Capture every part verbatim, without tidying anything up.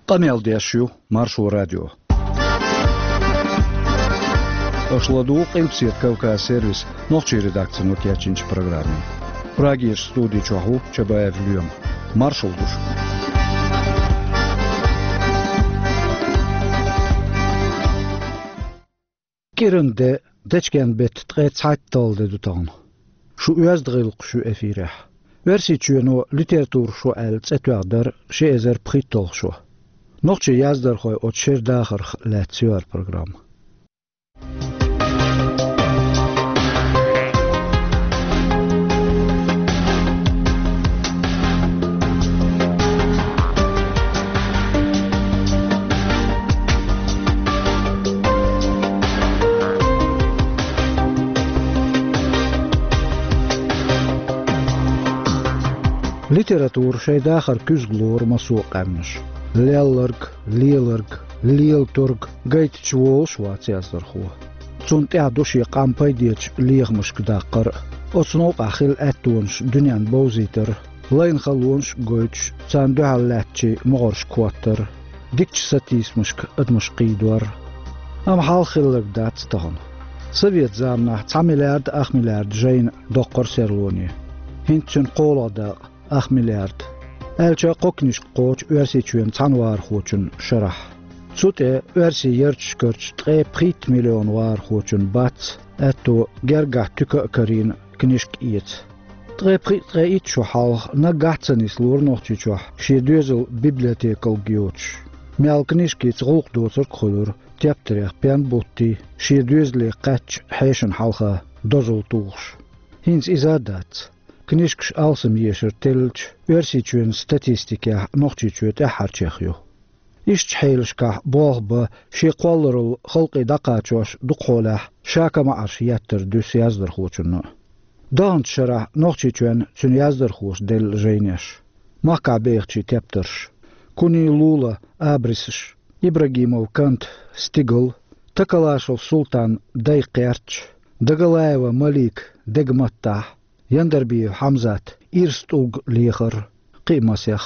Къамел деш ю Маршо радио. Аша ладугӀу Къилбаседа Кавказ сервисан нохчийн редакцино кечйинчу программе. Прагерчу студи чохь ву Чабаев Лоьма. Маршалла ду шуьга. КӀиранан де, дечкен-беттан ткъе цхьайтталгӀа де ду тахана. Шун оьзда гӀиллакхаш ю эфирехь. Оьрсийчоьно «Литературан шо» аьлла цӀе тоьхна дара ши эзар пхийтталгӀа шо. Нохчийн яздархой оцу шеран дахарх лаьцна ю хӀара программа. Литература шайн дахар куьзга лору массо а къаьмнаша. Лелларг, леларг, лелаторг гайтича волуш вац яздархо. Цунна тӀехь ду шен къам пайдечу лехамашка даккхар а, оцу новкъахь хилла аьттонаш дуьненна бовзийтар а, лайна халонаш а гойтуш, царна дуьхьал лаьттачийн могӀаршка хӀоттар а, дикачу сатийсамашка адамаш кхийдор а. Амма хьалха хилларг дац тахана. Советан заманахь цхьа миллиард ах миллиард жайна доккхура серлоне. ХӀинца цуьнан кхоалгӀа дакъа ах миллиард. Аьлча, кхо книжка кхочу Оьрсийчоьнан цхьана вахархочун шарахь. Цу тӀе оьрсийн ярташкарчу ткъе пхийтта миллион вахархочун бац аьтто гергахь туька а карийна книжка эца. Ткъе пхиъ-ткъе итт шо хьалха наггахь а ца нислора Нохчийчохь шен доьзал библиотекалг йоцуш. Мел книжкица гӀуллакх доцург а хуьлура, тептарех пен буттий, шен доьзале кхаьчча хьешана хьалха дозалла тухуш. ХӀинца иза а дац. Книжкаш алсам ешар теллича, Оьрсийчоьнан статистикехь Нохчийчоь тӀаьххьарчех ю. Ишттачу хьелашкахь болх бан шен кхолларалла халкъе дӀакхачош дукхахьолехь ша-ка маӀарш еттар дуьсу яздархочунна а. Даханчу шарахь Нохчийчоьнан цуьнан яздархоша делла жайнеш, махкахь бехачийн тептарш: Куни Лула абрисаш, Ибрагимов Кант стигал, Такалашев Султан дай кхерч, Дагалаева Малик дега маттахь, Яндарбиев Хьамзат ирс тӀулг лехар, кхин а масех.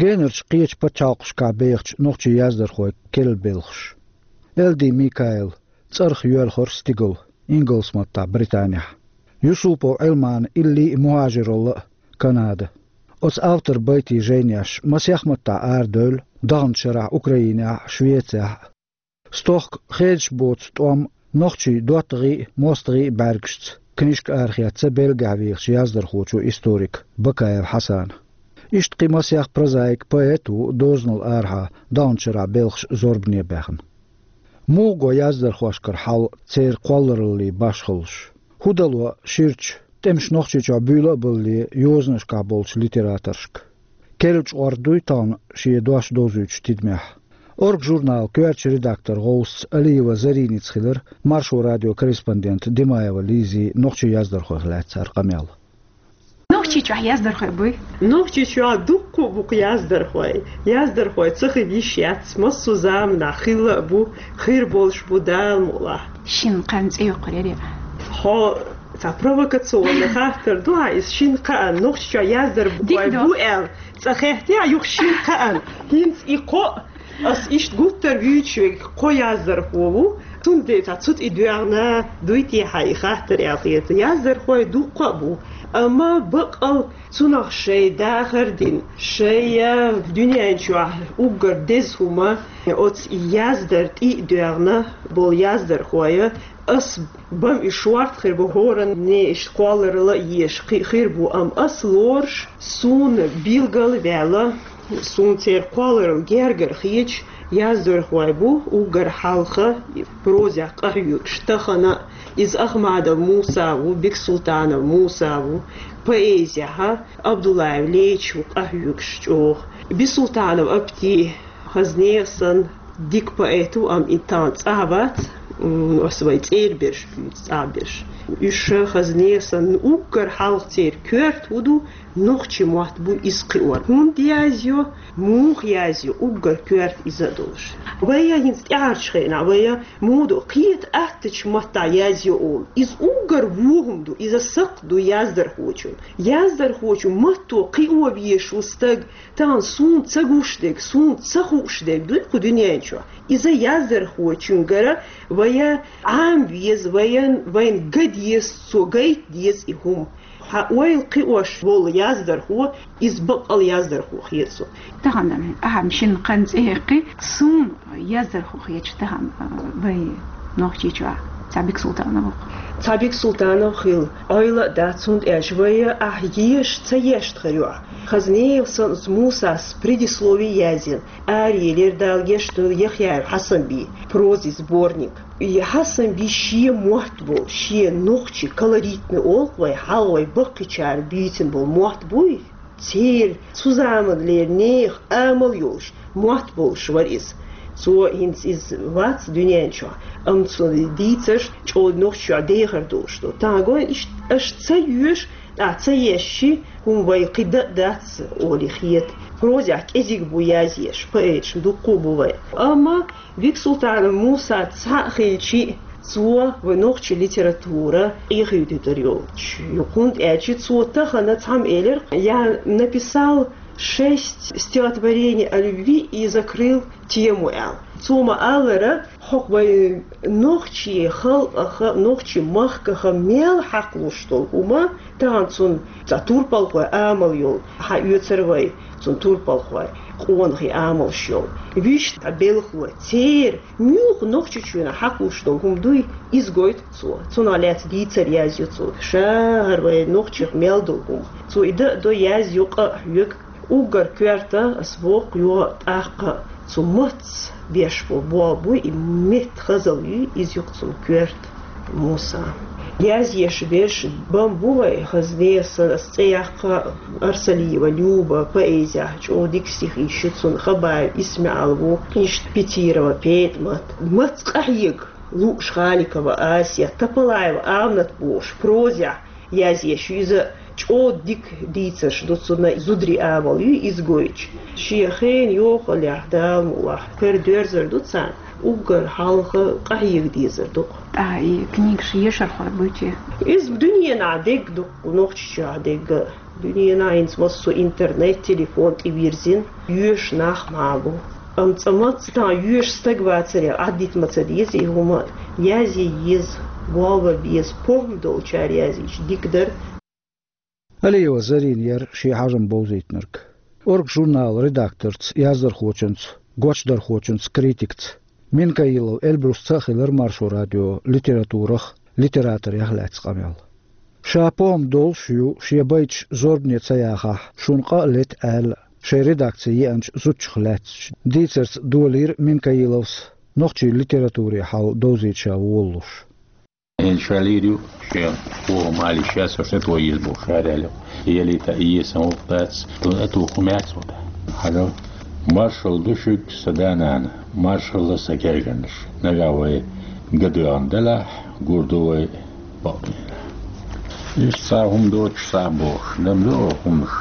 Генарчу кхечу пачхьалкхашкахь бехачу нохчийн яздархойн керла белхаш. Элди Микаил цӀарах йоьлхура стигал, ингалс маттахь Британехь. Юсупов Ӏилман илли а мухӀажиралла а Канада. Оцу авторан байтийн жайнеш масех маттахь арадевлла даханчу шарахь Украинехь а, Швецехь а. Стохка хедаш боцу тӀом нохчийн доттагӀий а, мостагӀий а бӀаьргашца книжка арахецна Бельгехь вехачу яздархочо, историка Бакаев Хьасана. Иштта кхин масех прозаик, поэт а ву дозанал арахьа даханчу шарахь белхаш зорбане баьхна. Муха го яздархошкара хьал церан кхоллараллин башхаллаш? ХӀун дало ширачу, тӀемаш Нохчийчохь буьйла а балале, йозанашкахь болчу литераторшка? Керла чкъор дуй тахана шен дош довзуьйтуш тидамехь? «Орга» журналан коьртачу редакторан гӀовсаца Алиева Зариница хилира Маршо радион корреспондент Димаева Лизин нохчийн яздархойх лаьцна хӀара къамел. Нохчийчохь яздархой буй? Нохчийчохь дуккха а бу-кх яздархой. Яздархой ца хила йиш яц, массо а заманахь хилла а бу, хир болуш бу, Дала мукъалахь. Шина кхаьнна цӀе йоккхур яра. Хьо цхьа провокационный хаттар ду хьан иза, шина кхаьнна Нохчийчохь яздархой бу аьлла, цкъа хеттехь юха шина кхаьнна. ХӀинца и кхо а, ас иштта гуттар а вуьйцуш верг кхо яздархо ву. Цундела цхьа цу тӀе доьгӀна дуй те хьан и хаттар аьлла хета. Яздархой дуккха а бу, амма баккъал цунах шайн дахар дина, шайн дуьнен чохь уггар деза хӀума оцу яздар тӀе а доьгӀна болу яздархой. Ас бан и шорта хир бу, хӀоранна иштта кхолларалла а еш кхин а хир бу, амма ас лоруш, суна билгал а ваьлла, суна церан кхолларалла гергара хеташ яздархой бу уггар хьалха прозех къахьоьгуш. Тахана иза Ахмадов Муса ву, Бексултанов Муса ву, поэзехь Абдуллаев Леча ву къахьоьгуш чӀогӀа. Бисултанов Апти хаза нехан санна дика поэт ву, амма и тахана цӀахь вац. М, ас вай цӀера берш, цӀа берш. Уьш хазне санна уггар хьалха церан коьрта хӀун ду, нохчийн мотт бу иза кхиор. ХӀунда язйо, муха язйо, уггар коьрта иза а долуш. Вай хӀинца тӀаьхьарчу хенахь, вай муха ду, кхета аттачу маттахь язйо олу. Иза уггар вон хӀума ду, иза сакхт ду яздархочун. Яздархочун матто кхио везаш ву стаг, тахана суна ца гуш дерг, суна ца хууш дерг дуй кху дуьнен чохь. Иза яздархочуьнгара вай Ӏама веза, вайн, вайн ган деза, цо гайта деза и хӀума. Хьан ойла кхиош волу яздархо, иза баккъал яздархо хета со. Тахана ахьа шина кхин цӀе хьекхи, суна яздархо хеташ тахана, а, вай Нохчийчохь цхьа Бексултанов ву-кх. Цхьа Бексултанов хила Ӏойла а дац, хӀунда аьлча вай ахьа еша ца ешта хир ю ахьа. Хазне санна оцу Мусас предислови язйина, араелира Дала гечдойла Яхъяев Хьасанбий, прозин сборник. И Хьасанбий шен мотт болу, шен нохчийн колоритный олу-кх вай, хьалха вай баккхийчара буьйцина болу мотт буй, церан цу заманлера нехан амал йолуш, мотт болуш вара иза. Цо хӀинца иза вац дуьнен чохь, амма цуьнан дийцарш чӀогӀа Нохчийчохь дехар долуш ду. Тахана гой, иштта аша ца йоьшу, тӀаккха ца ешши, хӀума вай кхин дан а дац олий хета. Прозехь кӀезиг бу язъеш, поэташ дуккха а бу вай. Амма Бексултанов Муса цхьаъ а хилчи, цо вай нохчийн литература къехийдитар йолчу ю. ХӀунда аьлча цо тахана цхьамма элира, я написал шесть стихотворений о любви и закрыл тему аьлла. Цо ма-аллара, хӀокху вай нохчийн халкъаха, нохчийн махкаха мел хьакхалуш долу хӀума, тахана цунна цхьа турпалхой амал йолу, хьан оьцура вай, цунна турпалхой, къонахий амалш йолу. Вуьшта белхало, церан муьлхха Нохчийчоьнахь хьакхалуш долу хӀума дуй, иза гойту цо. Цунах лаьцна дийцар язйо цо. Ша хӀара вай нохчех мел долу хӀума. Цо и дан а до, язйо, къа а хьоьгу. Уггар коьрта, ас боху, йо, тӀаккха цу маттаца беш бо-, болх буй, и метта хазалла юй, иза ю-кх цунна коьрта, Муса. Язъеш берш бан бу вай, хазне санна ас цӀе яккха, Арсалиева Люба, поэзехь чӀогӀа дика стихи ю цуьнан, Хабаев ИсмаӀал ву, иштта Петирова ПетӀамат. Маттаца къахьега лууш Халикова Асет, Тапалаева Аминат бохуш, прозехь язъеш ю иза, чӀогӀа дика дийцарш ду цуьнан, зударийн амал юй иза гойтуш. Шен хенан йохаллехь, Дала мукъ лахь, кара доьрзар ду царна, уггар хьалха къахьега дезар ду-кх. ТӀаккха и книгаш ешархой буй те? Иза дуьненахь дегга ду-кх, Нохчийчохь дегга. Дуьненахь хӀинца массо интернет, телефон тӀе вирзина, йоьшу нах мах бу. Амма цкъа мацца тахана йоьшу стаг вацаре, Ӏаддита ма ца деза и хӀума, язъе еза, болх бан беза, похӀма долчара язйича дика дара. Алиева Зарина яра шен хьажам бовзийтинарг. «Орга» журналан редакторца, яздархочунца, гочдархочунца, критикца Минкаилов Эльбрусца а хилира Маршо радион литературах, литераторех лаьцна къамел. Ша похӀма долуш ю, шен байташ зорбане ца яхахь, шуна къа а лета аьлла, шайн редакци еанчу зудчух лаьцначу дийцарца долийра Минкаиловс нохчийн литературин хьал довзийта ша волалуш. Эн ша лийр ю, шен похӀма али шаьш со шето йиза бу шаьрел ю. Елита и сан вукъ дац, тун а туху мец ву. Хьажал. Маршалла ду шуьга, сан да-нана, маршалла, сан гергарнаш. Нагахь вай гадоьгӀна делахь, гур ду вай бакъдийнахь. Иштта цхьа хӀума доцуш цхьа бохуш, дам ду хӀумаш.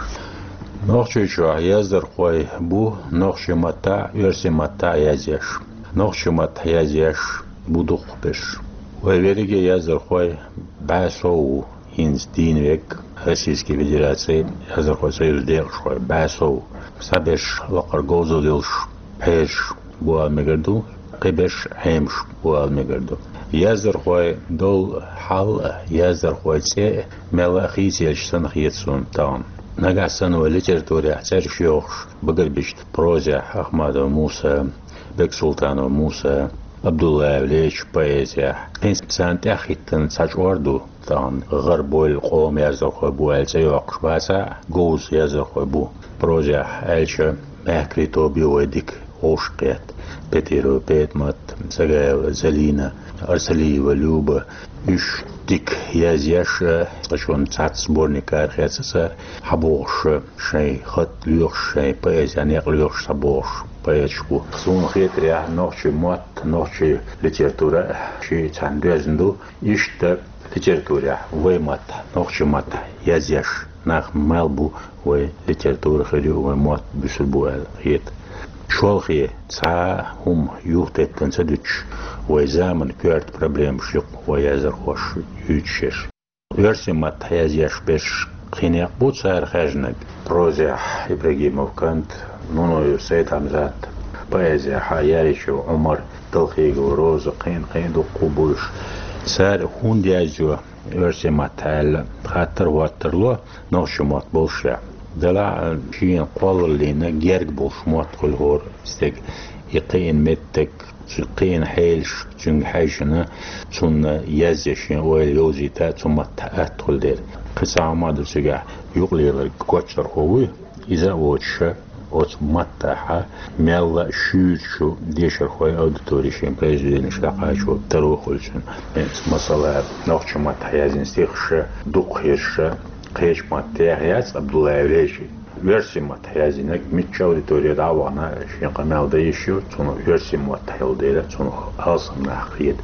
Нохчийчохь яздархой бу нохчийн маттахь а, оьрсийн маттахь а язъеш. Нохчийн маттахь язъеш бу дукхахберш. Вай верриге яздархой бӀе сов ву. ХӀинца дийна верг Российский Федерацин яздархойн союзан декъашхой бӀе сов. Цхьаберш лакхара говзалла йолуш, пхьераш бу ала мегар ду, кхиберш Ӏемаш бу ала мегар ду. Яздархойн долу хьал а, яздархойн цӀе а мелла а хийцаелча санна хета суна тахана. Нагахь санна вай литературехь цӀераш йохуш, багарбича прозехь Ахмадов Муса, Бексултанов Муса, Абдуллаев Леча поэзехь, хӀинца царна тӀаьхьахӀиттина цхьа чкъор ду. Тахана гӀарабойла къоман яздархой бу аьлла цӀе йоккхуш бацахь а, говза яздархой бу. Прозехь аьлча, мехкарий тоба ю вай дика. вовшахкхетта: Петирова ПетӀамат, Сагаева Залина, Арсалиева Люба. Уьш дика язъеш, цкъачунна цхьацца сборник арахецна цара, хьабогӀуш, шайн хатӀ лоьхуш, шайн поэзен некъ лоьхуш схьабогӀуш поэташ бу. Суна хетарехь, нохчийн мотт, нохчийн литература ши цхьана доьзна ду. Иштта литературехь, вай маттахь, нохчийн маттахь язъеш нах мел бу, вай литература хир ю, вай мотт буьсур бу аьлла хета. Шолхе цхьа хӀума юхатеттина ца дуьтуш, вай заманан коьрта проблемаш ю-кх вай яздархоша юьйцуш ерш. Оьрсийн маттахь язъеш берш кхин некъ бу цара хаьржинарг. Прозехь Ибрагимов Кант, Нунаев Сайд-Хьамзат, поэзехь Яичев Ӏумар, Далхигова Роза, кхин, кхин дуккха а бу уьш. Цара хӀунда язйо оьрсийн маттахь аьлла, хаттар хӀоттар ло нохчийн мотт боллушехь. Делахь а шена кхоллаллина герга болуш мотт хуьлу хӀора стеган. И кхиъна меттиг, цу кхиъна хьелаш цуьнга хьаьжжина, цунна язъе шен ойла йовзийта цу маттахь атта хуьлу дела. Кхин цхьа хӀума а ду цигахь, юкъалеларг кочдархо вуй, иза а воцуш, оцу маттахь мелла а шуьйрачу дешархойн аудитори шен произведенеш дӀакхачо таро хуьлу цуьнан. ХӀинца, масала, нохчийн маттахь язйина стихаш дукха хирш кхечу маттахь яц, Абдуллаев Режи. Оьрсийн маттахь язйинарг муьлххачу аудитори дӀа а вахана, шен къамел дан йиш ю, цунах оьрсийн мотт йолу дела, цунах алсам нах хета.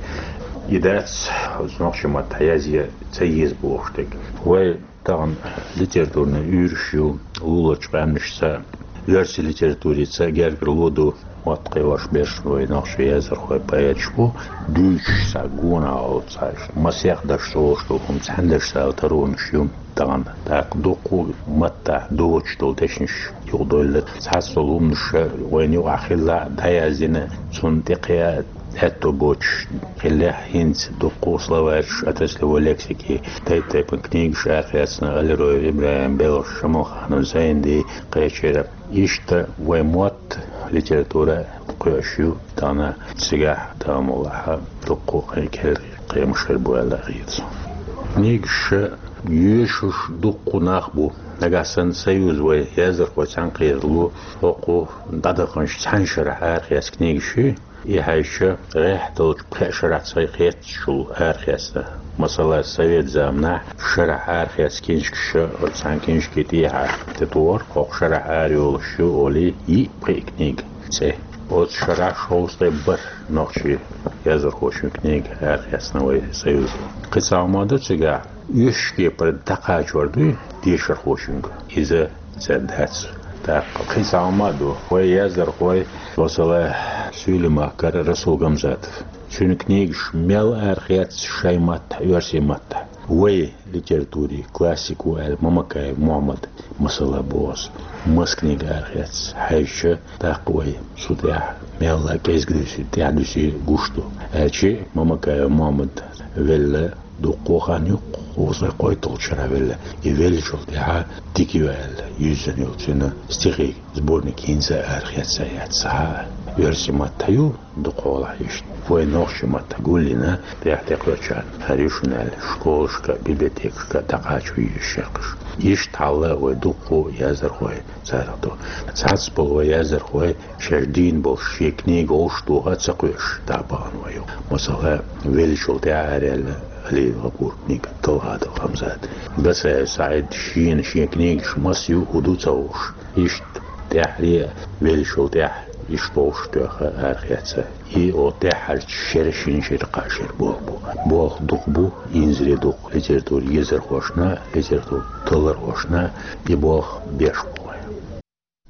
И дац, оцу нохчийн маттахь язъе ца еза бохуш дерг. Вай тахана литературни уьйраш ю, луларчу къаьмнашца, оьрсийн литературица гергарло ду, мотт кхиош берш вай нохчийн яздархой, поэташ бу, дуьйцуш цхьа гонах олу цхьа, масех дашца олуш долу хӀума цхьаьна дашца аьлла таронаш ю. Тахана тӀаккха дуккха а маттахь доцуш долу дешнаш юкъадойлла. Цхьацца долу хӀуманаш вайна юкъахь хилла а дӀаяздина, цунна тӀекхиа аьтто боцуш хиллехь, хӀинца дуккха а словарьш, отраслевой лексики, тайп-тайпана книгаш арахецна Алироев ИбрахӀим, Белхаш Шамалханов Зайнди кхечира. Иштта вай мотт, литература кхоьуш ю тахана, цигахь, тахана муьлхха, дуккха а кхин керла кхин мушар бу аьлла хета суна. Книгаш йоьшуш дуккха а нах бу. Нагахь санна союз вай яздархой цхьаьна кхералу, хӀокху дӀадаханчу цхьана шарахь арахецна книгаш ю, и хьаьжча, гӀеххьа долчу пхеа шарахь цхьа кхетачул арахецна. Масала, совет заманахь шарахь арахецна книжкаш, оцу цхьана книжки тӀехьа тӀетухура, хӀокху шарахь арайолуш ю олий, йиъ-пхиъ книга цӀе. Оцу шарахь шовзткъе бархӀ нохчийн яздархочун книга арахецна вай союзо. Кхин цхьа хӀума ду цигахь, оьшуш кепара дӀакхачор дуй дешархочуьнга, иза цаьрга дац. ТӀаккха кхин цхьа хӀума а ду, вай яздархой, масала, Суьйлемахкара Расул Гамзатов. Цуьнан книгаш мел арахецна шайн маттахь, оьрсийн маттахь. Вай литературин классик ву аьлла Мамакаев Мухьаммад, масала, боху ас. Маса книга арахецна хьаьжча, тӀаккха вай цу тӀехь мелла а кӀезиг дуьсий, тӀаьхьа дуьсий гуш ду. Аьлча Мамакаев Мухьаммад велла дуккха а хан ю, кхузткъе кхойтталгӀачу шарахь велла. И веллачул тӀаьхьа дика ю аьлла, юьззина йолу цуьнан стихийн сборник хӀинца а арахецна яц цхьа а. Оьрсийн маттахь ю, дукхахьолахь иштта. Вай нохчийн маттахь гулйина, тӀаьхьа тӀекхоьчарна хӀара ю шуна аьлла, школашка, библиотекашка дӀакхачо йиш яц. Иштта хьал а вай дуккха а яздархой царах ду. Цхьацца болу вай яздархой шаьш дийна болуш шен книга вовшахтоха а ца кхоьуш дӀа а бахана вай ю. Масала, веллачул тӀаьхьа араяьлла Алиев ГӀапуран книга «Талгадал Хамзат». Гацаев СаӀид шена шен книгаш маса ю, хӀун ду ца хууш. Иштта тӀаьххьара а веллачул тӀаьхьа иштта вовшахтоьхна арахецна. И оцу тӀаьххьарчу шеран шина шера кхаа шера болх бу. Болх дукха бу, инзаре дукха литературан езархошна, литературан таллархошна, и болх беш бу вайн.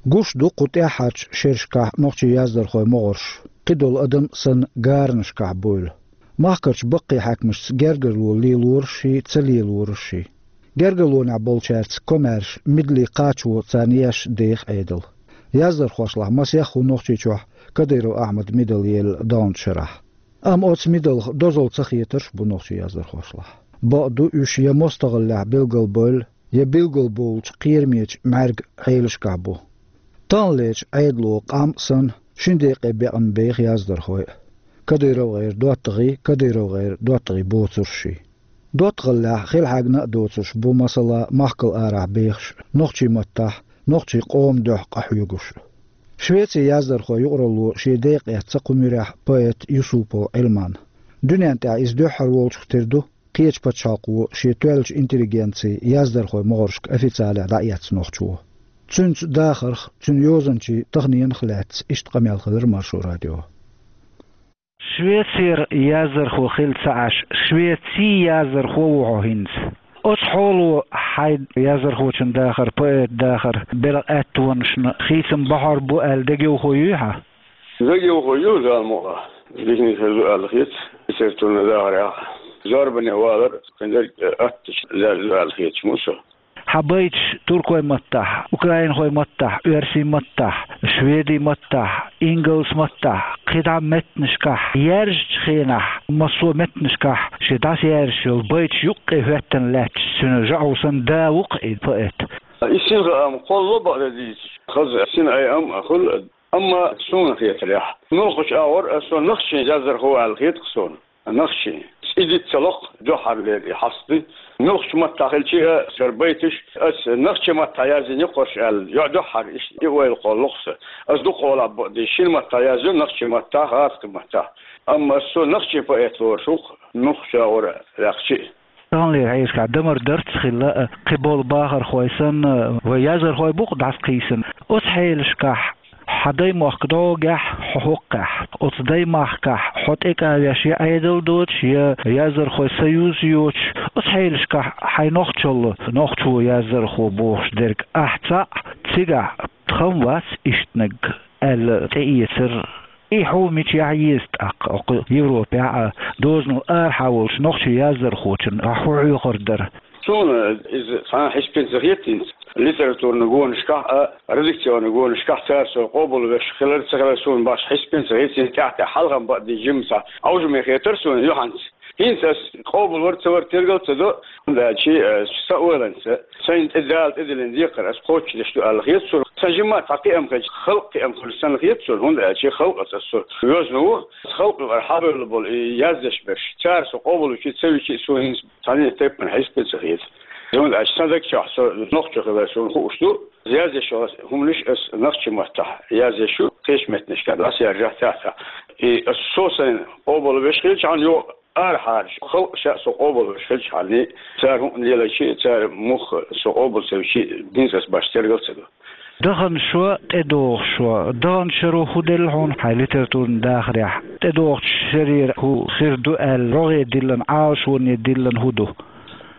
Гуш ду кху тӀаьххьарчу шерашкахь нохчийн яздархойн могӀарш, кхидолу адам санна, гаранашкахь буйла. Махкарчу баккхий хьаькамашца гергарло лелорашший, ца лелорашший. Гергарлонехь болчаьрца комаьрша, мидале кхачо царна еш деха Ӏедал. Яздархошлахь масех а ву Нохчийчохь Кадыров Ахьмадан мидал елла долчу шарахь. Амма оцу мидалх дозалла ца хетарш а бу нохчийн яздархошлахь. Бакъду, уьш я мостагӀаллехь билгалбевлла, я билгалбовлучу кхерамечу мӀаьрган Ӏелашкахь бу. Таханлерчу Ӏедало къам а санна, шина декъе бекъна беха яздархой а. КадыровгӀеран доттагӀий, КадыровгӀеран доттагӀий боцуршший. ДоттагӀаллехь хелхьаьгна а доцурш бу, масала, махкал арахь бехаш, нохчийн маттахь, нохчийн къоман дуьхьа къахьоьгуш. Швецин яздархой юкъаралло шен декъе эцна кху муьрехь поэт Юсупов Ӏилман. Дуьнен тӀехь иза дуьххьара волчух тера ду, кхечу пачхьалкхо шен тоьллачу интеллигенцин яздархойн могӀаршка официалехь дӀаэцна нохчо. Цуьнца дахарх, цуьнан йозанчийн таханенах лаьцна иштта къамел хилира Маршо радион. Швецера яздархо хилла ца Ӏаш, Швецин яздархо ву хьо хӀинца. Оцу хьоло хьайн яздархочун дахар, поэтан дахар, белхан аьттонашна хийцам бахьар бу аьлла дегайовхо юй хьан? Дегайовхо ю, Дала мукъалахь. Диканиг хир ду аьлла хета, литературни дахарехь. Зорбане валар, кхин дерг аттачу лаьрра ду аьлла хеташ ма ву со. Хьан байташ туркойн маттахь, украинхойн маттахь, оьрсийн маттахь, шведийн маттахь, ингалсан маттахь, кхидӀа меттанашкахь яьржачу хенахь, массо а меттанашкахь шен дӀасаяьржаш йолу байташ юккъе хӀоьттина лаьтташ, цуьнан жаӀу санна да ву-кх и поэт. И синхаам кхоллало бакъдерг дийцича, хаза синайам а хуьлу, амма суна хетарехь, муьлххачу агӀор а со нахчийн яздархо ву аьлла хета-кх суна. Нахчийн. И диц ца ло-кх, дуьххьарлера и хьаста ду. Муьлххачу маттахь хилча а, шара байташ, ас нахчийн маттахь яздина ю-кх уьш аьлла, йо-, дуьххьара иштта и ойла кхоллало-кх сан. Ас дукха хьолахь бакъдерг шина маттахь яздина, нахчийн маттахь, гӀазкхийн маттахь. Амма ас со нахчийн поэт лоруш ву-кх, муьлххачу агӀор а ваьккхича а. Таханлера хьешашкахь дамар дарц хилла, кхин болу бахархой санна, вай яздархой бу-кх дӀасакхийсина. Оцу хьелашкахь хьан даймохк дӀогахь, хьо хӀоккхехь, оцу даймахкахь хьо тӀекӀа веш я Ӏедал доцуш, я яздархойн союз йоцуш, оцу хьелашкахь хьайн нохчалла нохчо яздархо бохуш дерг ахь цхьаъ, цигахь тхан вац ишттаниг аьлла тӀеэцар. И хьо мичахь еза тӀаккха, хӀокху Европехь а, дозанал арахьа волчу нохчийн яздархочун ахь хӀун хьоьхур дара? Суна иза цхьа а хьисапе ца хета хӀинца. Литературни гонашкахь а, редакционни гонашкахь цара со къобалвеш хилар а, ца хилар а суна башха хьисапе ца хета, тӀаьхьа-тӀаьхьа хьалха бакъдерг жимма цхьа Ӏовжаме хетара суна юьхьанца. ХӀинца ас къобалвар ца вар тергал ца до, хӀунда аьлча, э, сан ойланца, сайна тӀе Дала тӀедиллина декхар ас кхочушдеш ду аьлла хета суна. Сан жимма цхьа кхиам хилча, халкъан кхиам хуьлу санна хета суна, хӀунда аьлча халкъаца ас со везна ву. Халкъан юкъара хьабевлла болу и яздеш берш, цара со къобалвича а, ца вича а, суна хӀинца цхьана а тайпана хьисапе ца хета. ХӀунда аьлча сан даг чохь со нохчо хилар суна хууш ду. Яздеш йолу хӀуманаш ас нохчийн маттахь яздеш ю, кхечу меттанашкахь дӀасаяьржахь цхьаьна. И ас со сайна къобалвеш хилчахьана, йо, арахьарчу халкъаша а со къобалвеш хилчахьана, цара хӀуъа лелайча а, цара муха со къобал ца вича а, хӀинца ас башха тергал ца до. Даханчу шарахь тӀедогӀучу шарахь, даханчу шаро хӀун делла хьуна хьайн литературни дахарехь? ТӀедогӀучу шарера хӀун хир ду аьлла, рогӀе диллина, Ӏалашоне диллина хӀун ду?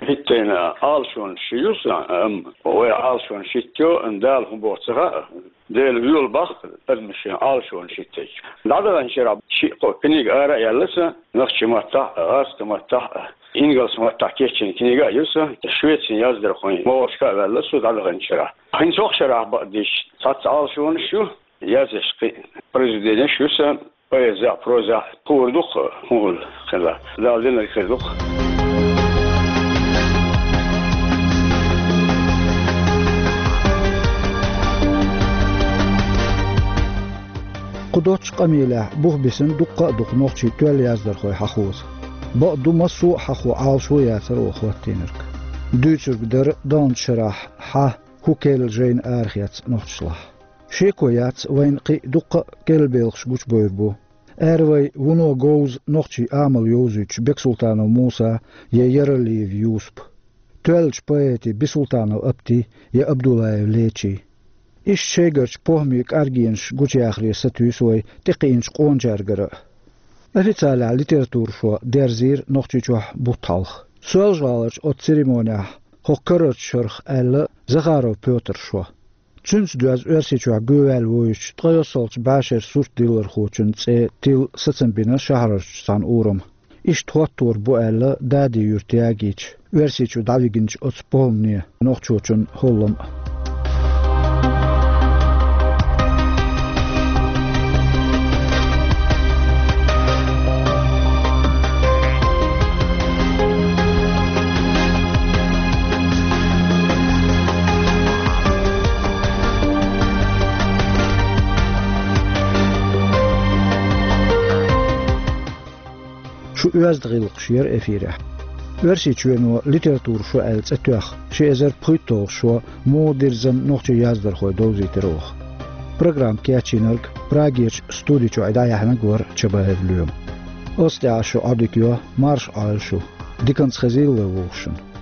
ХӀиттийна Ӏалашонаш ю сан, амма вай Ӏалашонаш хӀиттайо, Дала хӀун боху ца хаьа. Дела воьлу боху адамаша Ӏалашонаш хӀиттича. ДӀадаханчу шарахь шиъ-кхо книга ара а яьлла сан, нохчийн маттахь а, гӀазкхийн маттахь а, ингалсан маттахь кечйина книга а ю сан, Швецин яздархойн могӀаршка а ваьлла со дӀадаханчу шарахь. ХӀинца хӀокху шарахь бакъдерг цхьацца Ӏалашонаш ю, яздеш кхин произведенеш ю сан, поэзехь, прозехь, хуур ду-кх хӀун хилла, Дала динарг хир ду-кх. Кху доцчу къамелехь бух бисина дуккха а ду-кх нохчийн тоьлла яздархой хьахоза. Бакъду, массо а хьахо Ӏалашо яцара оха хӀоттийнарг. Дуьйцург дара даханчу шарахь хьан хӀун керла жайна арахецна нохчашлахь. Шеко яц, вайна кхин а дуккха а керла белхаш гучубевр бу. Ара вай вуно говза нохчийн амал йовзуьйтуш Бексултанов Муса я Яралиев Юсуп, тоьллачу поэтийн Бисултанов Апти я Абдуллаев Лечи. Иштта шайгарчу похӀмийн кӀаргенаш гучуяхаре сатуьйсу вай тӀекхиъначу къоначаьргара а. Официалехь литература шо дерзийра Нохчийчохь бутт хьалха. Соьлжа-ГӀаларчу оцу церемонехь хӀокху карарчу шарах аьлла Захаров Пётра шо. Цуьнца доьзна Оьрсийчохь гӀоьваьлла вуьйцучу ткъайоьссалгӀачу бӀешерчу суртдиллархочун цӀе тилла сацам бина шахьарарчу цхьана урама. Иштта хӀоттор бу аьлла Дади-Юьрта ягийча, Оьрсийчу дӀавигинчу оцу похӀмане нохчочун хӀоллам а. Шу оьзда гӀиллакхаш яра эфирехь. Оьрсийчоьно литература шо аьлла цӀе тоьхна, ши эзар пхийтталгӀа шо муха дирзина нохчийн яздархой довзийтира оха. Программа кечйинарг Прагерчу студи чу дӀаяьхьнарг вара Чабаев Лоьма. Ас тӀехь шу Ӏодика йо, марша Ӏойла шу. Диканца хезийла вай вовшашна.